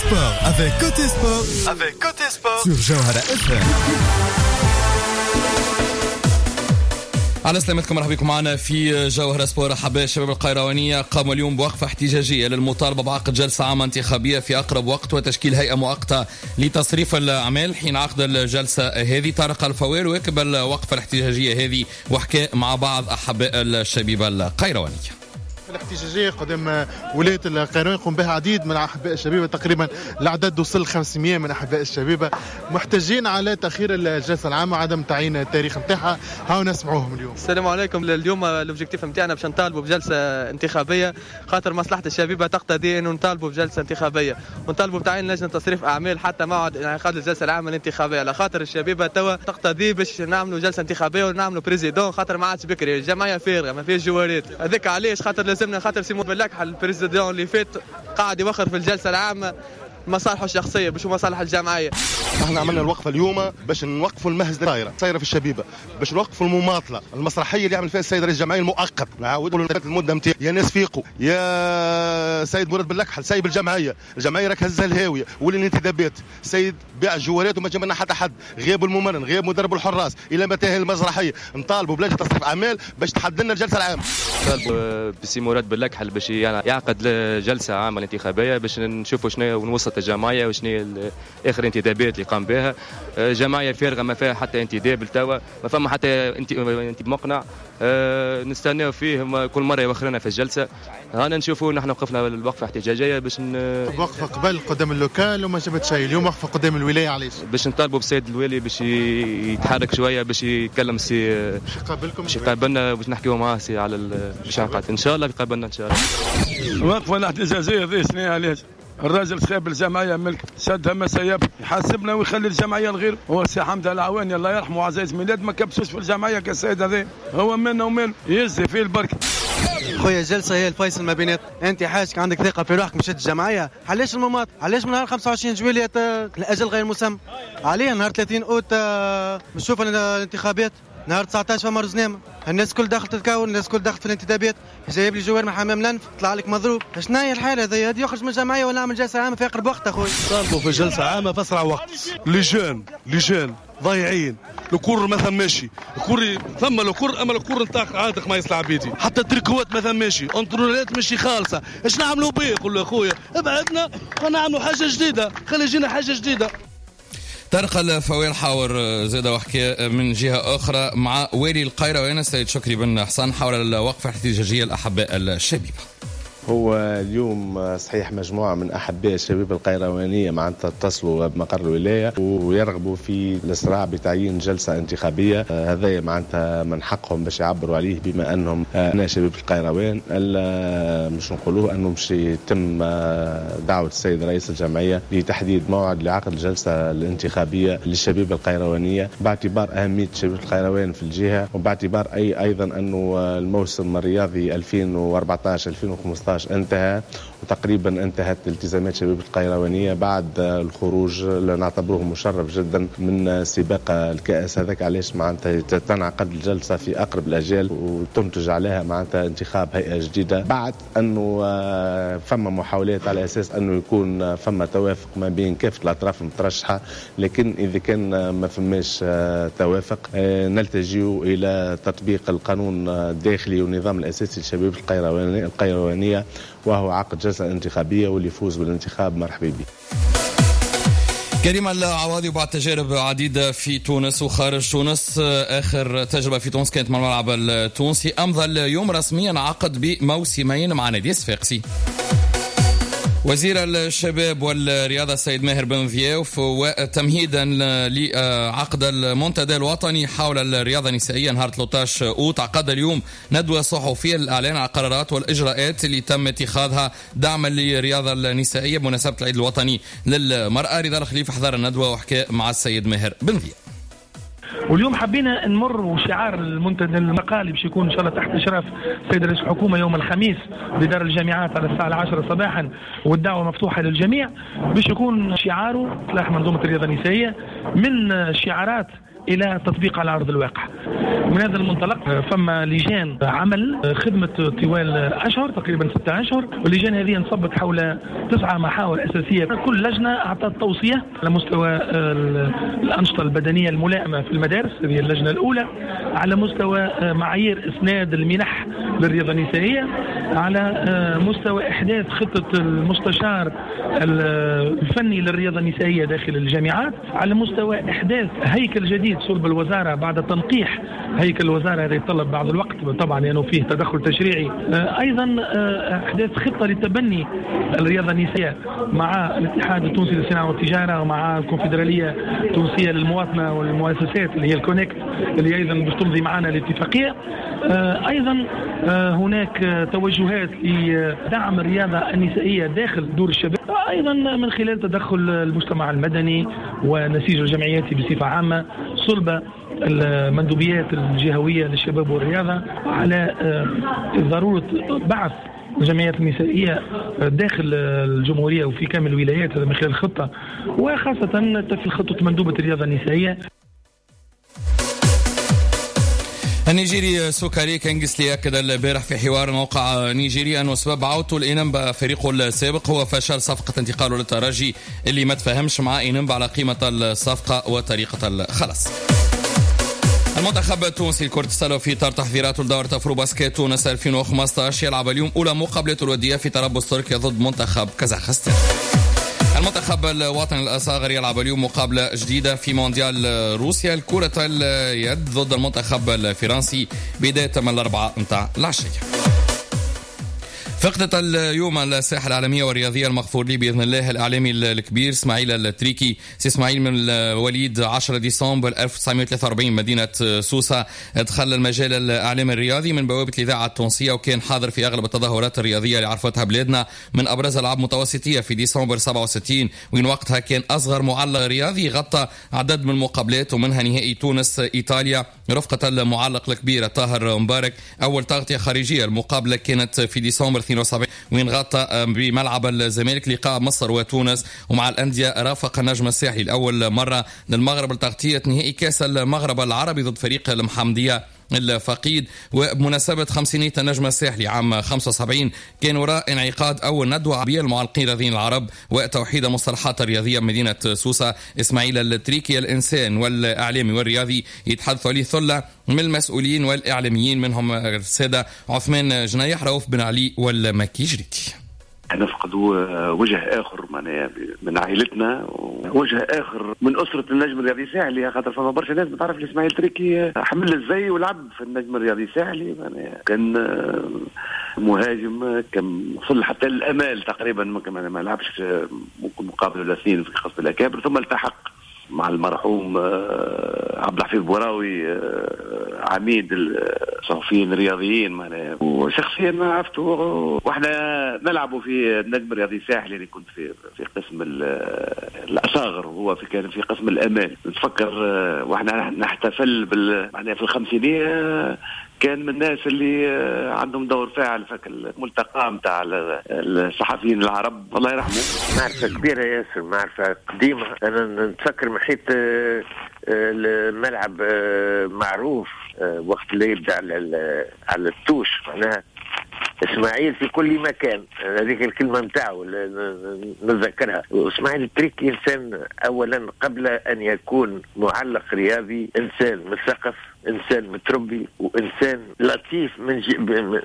Sport avec Côté Sport avec Côté Sport sur جوهرة FM. على سلامتكم، مرحبا بكم معنا في جوهرة سبور. أحباء الشباب القيروانية قاموا اليوم بوقفة احتجاجية للمطالبة بعقد جلسة عامة انتخابية في أقرب وقت وتشكيل هيئة مؤقتة لتصريف الأعمال حين عقد الجلسة هذه. طارق الفوال واكب الوقفة الاحتجاجية هذه وحكى مع بعض أحباء الشبيبة القيروانية. الاحتجاجية قدام ولاية القيروان يقوم بها عديد من أحباء الشبيبة، تقريبا العدد وصل 500 من أحباء الشبيبة محتجين على تأخير الجلسة العامة وعدم تعيين التاريخ نتاعها. هاو نسمعوهم اليوم. السلام عليكم. اليوم l'objectif نتاعنا باش نطالبوا بجلسة انتخابية، خاطر مصلحة الشبيبة تقتضي انه نطالبوا بجلسة انتخابية ونطالبوا بتعيين لجنة تصريف أعمال حتى موعد انعقاد الجلسة العامة الانتخابية، على خاطر الشبيبة توا تقتضي باش نعملوا جلسة انتخابية ونعملوا président، خاطر ما عادش بكري الجمعية فارغة ما فيهاش جوارات. هذاك علاش خاطر لازم خاطر سي بلاكحل ال président اللي فات قاعد يوخر في الجلسة العامة مصالحه الشخصية باش مصالح الجمعية. احنا عملنا الوقفة اليوم باش نوقفوا المهزلة صايرة في الشبيبة، باش نوقفوا المماطله المسرحية اللي عمل فيها السيد رئيس الجمعية المؤقت. نعاودوا المدة نتاعو، يا ناس فيقوا، يا سيد مراد بلاكحل سايب الجمعية، الجمعية راك هزها الهاوية والانتدابات، سيد بيع الجوارات وما جاب لنا حتى حد، غياب الممرن، غياب مدرب الحراس، الى متى المسرحية؟ نطالبوا بلجنه تصريف اعمال باش تحدد لنا الجلسة العامة. نطالبوا بسي مراد بلاكحل باش يعقد جلسه عامة انتخابية باش نشوفوا شنو ونوصل الجمعية وشنو اخر انتدابات اللي قام بها. جمعية فارغة ما فيها حتى انتداب لتوا، ما فما حتى انت مقنع. نستناو فيه كل مرة يوخرنا في الجلسة. هانا نشوفوا نحن وقفنا الوقفة احتجاجية باش وقفه قبل قدام ال local وما جابت شيء، اليوم وقفه قدام الولاية. علاش؟ باش نطالبوا بالسيد الوالي باش يتحرك شوية، باش يتكلم سي باش يقابلكم، باش يقابلنا، باش نحكيو معاه سي على باش يعقد ان شاء الله، يقابلنا ان شاء الله. الوقفة الاحتجاجية ذي شنو علاش؟ الراجل خاب الجمعية ملك شدها ما سيب، يحاسبنا ويخلي الجمعية الغير. هو سي حمد العواني الله يرحمه وعزيز ميلاد ما كبسوش في الجمعية كالسيد هذا، هو منا ومال يزي فيه البركة. خويا الجلسة هي الفيصل ما بينات، انت حاجك عندك ثقة في روحك مشيت الجمعية، علاش المماط؟ علاش من نهار 25 جويلية الاجل غير مسمى؟ عليه نهار 30 اوت نشوف الانتخابات، نهار 19 فما رزنامه، الناس كل داخل تتكون، الناس كل داخل في الانتدابات، جايب لي joueur من حمام لنف طلع لك مضروب، شنو هي الحالة هذه؟ هذه يخرج من الجمعية ولا نعمل جلسه عامة في اقرب وقت اخويا. طالبوا في جلسه عامة في اسرع وقت. les jeunes les jeunes ضايعين، ال cours ما ثماشي، ال cours ثم ال cours اما ال cours نتاع عادك ما يصلح عبيدي، حتى التريكوات ما ثماشي، entraîneur ات ماشي خالصة، اش نعملوا به؟ قول له اخويا ابعدنا ونعملوا حاجة جديدة، خلي يجينا حاجة جديدة. طارق الفويل حاور زاد وحكي من جهة أخرى مع والي القيروان السيد شكري بن حسن حول الوقفة الاحتجاجية الأحباء الشبيبة. هو اليوم صحيح مجموعة من أحباء الشبيبة القيروانية معناتها اتصلوا بمقر الولاية ويرغبوا في الإسراع بتعيين جلسة انتخابية. هذا معناتها من حقهم باش يعبروا عليه بما أنهم أنا شبيبة القيروان. مش نقولوه أنه مش يتم دعوة السيد رئيس الجمعية لتحديد موعد لعقد الجلسة الانتخابية للشبيبة القيروانية باعتبار أهمية شبيبة القيروان في الجهة، وباعتبار أيضا أنه الموسم الرياضي 2014-2015 انتهى، وتقريبا انتهت التزامات شبيبة القيروانية بعد الخروج اللي نعتبره مشرف جدا من سباق الكأس. هذاك علاش معناتها تنعقد الجلسة في أقرب الأجال وتنتج عليها معناتها انتخاب هيئة جديدة، بعد أنه فما محاولات على أساس أنه يكون فما توافق ما بين كافة الأطراف المترشحة، لكن إذا كان ما فماش توافق نلتجئ إلى تطبيق القانون الداخلي والنظام الأساسي لشبيبة القيروانية، وهو عقد جلسة انتخابية واللي يفوز بالانتخاب مرحبا به. كريم العواضي وبعد تجارب عديدة في تونس وخارج تونس، آخر تجربة في تونس كانت مع الملعب التونسي، أمضى اليوم رسميا عقد بموسمين مع نادي الصفاقسي. وزير الشباب والرياضة السيد ماهر بن ضياف وتمهيدا لعقد المنتدى الوطني حول الرياضة النسائية نهار 13 أوت، عقد اليوم ندوة صحفية للإعلان عن القرارات والإجراءات اللي تم اتخاذها دعما للرياضة النسائية بمناسبة العيد الوطني للمرأة. رضا الخليفة حضر الندوة وحكى مع السيد ماهر بن ضياف. واليوم حبينا نمر وشعار المنتدى المقالي باش يكون ان شاء الله تحت اشراف السيد رئيس الحكومة يوم الخميس بدار الجامعات على الساعة 10 صباحا، والدعوة مفتوحة للجميع، باش يكون شعاره اصلاح منظومة الرياضة النسائية. من شعارات الى التطبيق على ارض الواقع. من هذا المنطلق فما لجان عمل خدمت طوال اشهر، تقريبا 6 اشهر، واللجان هذه انصبت حول 9 محاور اساسية. كل لجنة اعطت توصية على مستوى الانشطة البدنية الملائمة في المدارس، هذه اللجنة الاولى، على مستوى معايير اسناد المنح للرياضة النسائية، على مستوى احداث خطه المستشار الفني للرياضة النسائية داخل الجامعات، على مستوى احداث هيكل جديد صلب الوزارة بعد تنقيح هيكل الوزارة، هذا يتطلب بعض الوقت طبعا لانه فيه تدخل تشريعي، ايضا احداث خطه لتبني الرياضة النسائية مع الاتحاد التونسي للصناعة والتجارة ومع الكونفدراليه التونسية للمواطنه والمؤسسات اللي هي الكونكت اللي ايضا باش تمضي معنا الاتفاقية. ايضا هناك توجهات لدعم الرياضة النسائية داخل دور الشباب، ايضا من خلال تدخل المجتمع المدني ونسيج الجمعيات بصفة عامة صلب المندوبيات الجهوية للشباب والرياضة على ضرورة بعث الجمعيات النسائية داخل الجمهورية وفي كامل الولايات، هذا من خلال الخطة، وخاصة في خطه مندوبه الرياضة النسائية. النيجيري سوكاري كينغسلي أكد البارح في حوار موقع نيجيري أنه سبب عودته لإنمبا فريقه السابق هو فشل صفقة انتقاله للترجي اللي ما تفهمش مع إنمبا على قيمة الصفقة وطريقة الخلاص. المنتخب التونسي لكرة السلة في إطار تحضيراته لدورة أفرو باسكيت تونس 2015 يلعب اليوم أولى مقابلاته الودية في تربص تركيا ضد منتخب كازاخستان. المنتخب الوطني الأصاغر يلعب اليوم مقابلة جديدة في مونديال روسيا لكرة اليد ضد المنتخب الفرنسي بداية من 4 متاع العشية. فقدت اليوم الساحة العالمية والرياضية المغفور لي بإذن الله الإعلامي الكبير اسماعيل التريكي. سي اسماعيل من وليد 10 ديسمبر 1943 مدينة سوسة، دخل المجال الإعلامي الرياضي من بوابة الإذاعة التونسية، وكان حاضر في أغلب التظاهرات الرياضية اللي عرفتها بلادنا، من أبرز ألعاب متوسطية في ديسمبر 67 وين وقتها كان أصغر معلق رياضي غطى عدد من المقابلات ومنها نهائي تونس إيطاليا رفقة المعلق الكبير طاهر مبارك. أول تغطية خارجية المقابلة كانت في ديسمبر 72 وين غطى بملعب الزمالك لقاء مصر وتونس، ومع الأندية رافق النجم الساحلي لأول مرة للمغرب لتغطية نهائي كأس المغرب العربي ضد فريق المحمدية الفقيد. وبمناسبة خمسينية النجم الساحلي عام 75 كان وراء انعقاد أول ندوة عربية للمعلقين الرياضيين العرب وتوحيد المصطلحات الرياضية بمدينة سوسة. إسماعيل التريكي الإنسان والإعلامي والرياضي يتحدث عليه ثلة من المسؤولين والإعلاميين منهم السادة عثمان جنايح، رؤوف بن علي، والمكي جريتي. نفقدوا وجه اخر معناها من عائلتنا، ووجه اخر من اسره النجم الرياضي الساحلي، خاطر فما برشا ناس ما تعرف اسماعيل تريكي حمل الزي ولعب في النجم الرياضي الساحلي، معناها كان مهاجم، كان وصل حتى الامال تقريبا، ما لعبش ممكن مقابله ولا اثنين في خاصة الاكابر، ثم التحق مع المرحوم عبد الحفيظ بوراوي عميد الصحفيين الرياضيين معناها، وشخصيا ما عرفته واحنا نلعبوا في النجم الرياضي الساحلي اللي كنت في قسم الاصاغر وهو كان في قسم الامال. نتفكر واحنا نحتفل معناها في الخمسينيه كان من الناس اللي عندهم دور فاعل في الملتقى نتاع الصحفيين العرب الله يرحمه. معرفة كبيرة ياسر، معرفة قديمة. أنا نتفكر محيط الملعب معروف وقت اللي يبدأ على التوش، معناها اسماعيل في كل مكان، هذيك الكلمة نتاعو نتذكرها. اسماعيل التريكي إنسان أولا قبل أن يكون معلق رياضي، إنسان مثقف، إنسان متربي، وإنسان لطيف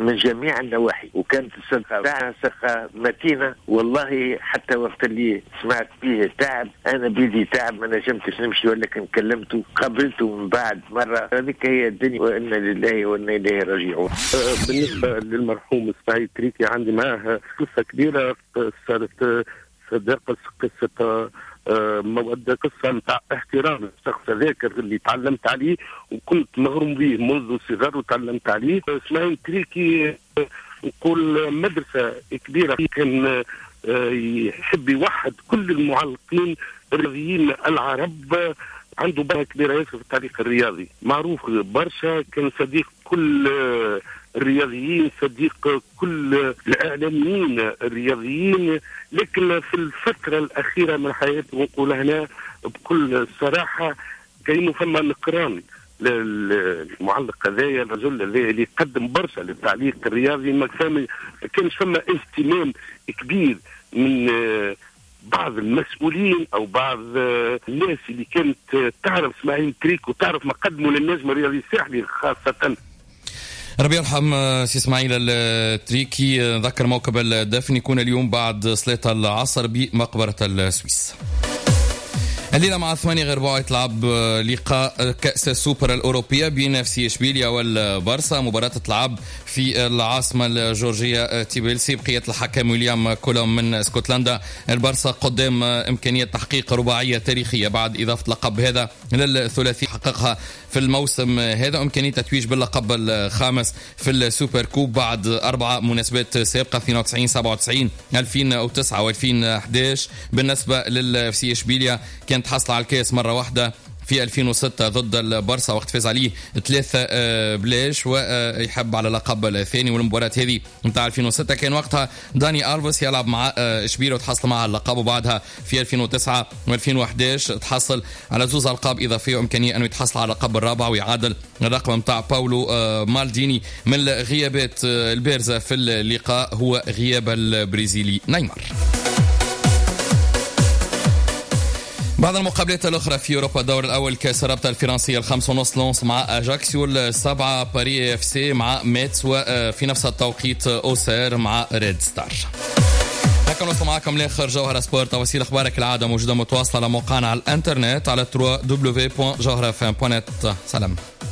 من جميع النواحي، وكانت الصدقة تاعها صدقة متينة. والله حتى وقت اللي سمعت به تعب، أنا بيدي تعب ما نجمتش نمشي، ولكن كلمته قابلته من بعد مرة. هذيك هي الدنيا، وإنا لله وإنا إليه راجعون. بالنسبة للمرحوم إسماعيل تريكي عندي معاه قصة كبيرة، صارت صداقة، قصة مودة، قصة نتاع احترام الشخص هذاك اللي تعلمت عليه وكنت مغروم به منذ الصغر وتعلمت عليه. اسماعيل تريكي نقول مدرسة كبيرة، كان يحب يوحد كل المعلقين الرياضيين العرب، عنده بركة كبيرة ياسر في التعليق الرياضي، معروف برشا، كان صديق كل الرياضيين، صديق كل الإعلاميين الرياضيين. لكن في الفترة الأخيرة من حياته، ونقول هنا بكل صراحة، كأنه فما نكران للمعلق هذايا، الرجل هذايا اللي قدم برشا للتعليق الرياضي. ما كانش فما اهتمام كبير من بعض المسؤولين او بعض الناس اللي كانت تعرف اسماعيل تريك وتعرف ما قدموا للنجم الرياضي الساحلي خاصة. ربي يرحم سي اسماعيل التريكي. نذكر موكب الدفن يكون اليوم بعد صلاة العصر بمقبرة السويس. الليلة مع 7:45 تلعب لقاء كأس السوبر الأوروبية بين FC إشبيليا والبارسا، مباراة تلعب في العاصمة الجورجية تبليسي بقيادة الحكم ويليام كولوم من اسكتلندا. البارسا قدام إمكانية تحقيق رباعية تاريخية بعد إضافة لقب هذا للثلاثي حققها في الموسم هذا، إمكانية تتويج باللقب الخامس في ال super coupe بعد 4 مناسبات سابقة 92 97 2009 و2011. بالنسبة لل FC إشبيليا كانت حصل على الكاس مرة واحدة في 2006 ضد البارسا وقت فاز عليه 3-0 ويحب على اللقب الثاني. والمباراة هذه نتاع 2006 كان وقتها داني ألفيس يلعب مع إشبيليا وتحصل معها اللقب، وبعدها في 2009 و2011 تحصل على 2 ألقاب إضافية وإمكانية أنه يتحصل على اللقب الرابع ويعادل الرقم نتاع باولو مالديني. من الغيابات البارزة في اللقاء هو غياب البرازيلي نيمار. بعض المقابلات الأخرى في أوروبا، الدور الأول كأس الرابطة الفرنسية 5:30 لونس مع أجاكسيو، 7 باريس FC مع ميتس، وفي نفس التوقيت أوسير مع ريد ستار. هكا نوصل معكم لآخر جوهرة سبورت. تفاصيل أخبارك العادة موجودة متواصلة على موقعنا على الإنترنت على www.jawharafm.net. سلام.